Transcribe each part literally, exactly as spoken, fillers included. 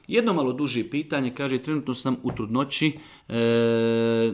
Jedno malo duže pitanje, kaže, trenutno sam u trudnoći, e,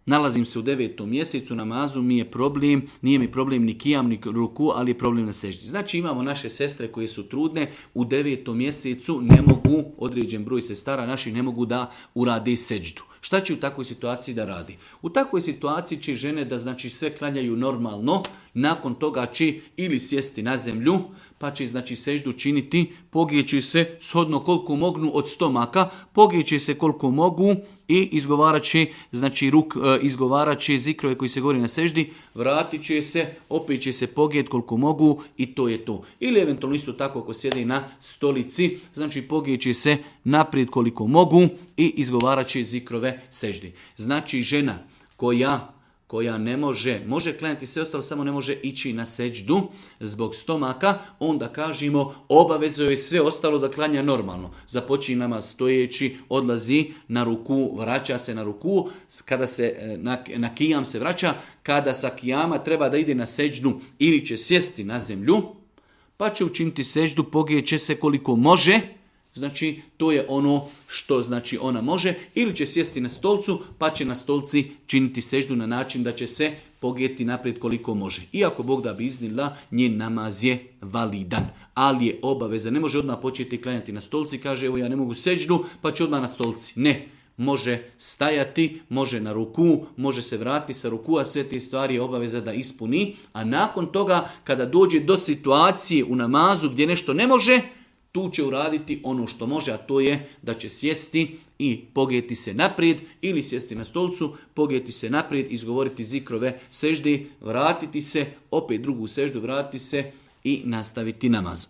nalazim se u devetom mjesecu, namazu mi je problem, nije mi problem ni kijam, ni ruku, ali je problem na seždi. Znači imamo naše sestre koje su trudne, u devetom mjesecu ne mogu, određen broj sestara naših ne mogu da urade seždu. Šta će u takvoj situaciji da radi? U takvoj situaciji će žene da znači sve klanjaju normalno, nakon toga će ili sjesti na zemlju, pa će znači seždu činiti, pogijeći se shodno koliko mognu od stomaka, pogijeći se koliko mogu i izgovarat će, znači ruk, izgovarat će zikrove koji se govori na seždi, vratit će se, opet će se pogijet koliko mogu i to je to. Ili eventualno isto tako ako sjedi na stolici, znači pogijet će se naprijed koliko mogu i izgovarat će zikrove seždi. Znači žena koja koja ne može, može klanjati sve ostalo, samo ne može ići na seđdu zbog stomaka, onda kažemo obavezuje je sve ostalo da klanja normalno. Započinje namaz stojeći, odlazi na ruku, vraća se na ruku, kada se na, na kijam se vraća, kada sa kijama treba da ide na seđdu ili će sjesti na zemlju, pa će učiniti seđdu, pogijeće se koliko može. Znači, to je ono što znači ona može, ili će sjesti na stolcu, pa će na stolci činiti seždu na način da će se pogijeti naprijed koliko može. Iako Bog da bi iznila, njen namaz je validan, ali je obaveza. Ne može odmah početi klanjati na stolci, kaže evo ja ne mogu seždu, pa će odmah na stolci. Ne, može stajati, može na ruku, može se vratiti sa ruku, a sve te stvari je obaveza da ispuni. A nakon toga, kada dođe do situacije u namazu gdje nešto ne može, tu će uraditi ono što može, a to je da će sjesti i pogijeti se naprijed ili sjesti na stolcu, pogijeti se naprijed, izgovoriti zikrove seždi, vratiti se, opet drugu seždu, vratiti se i nastaviti namaz.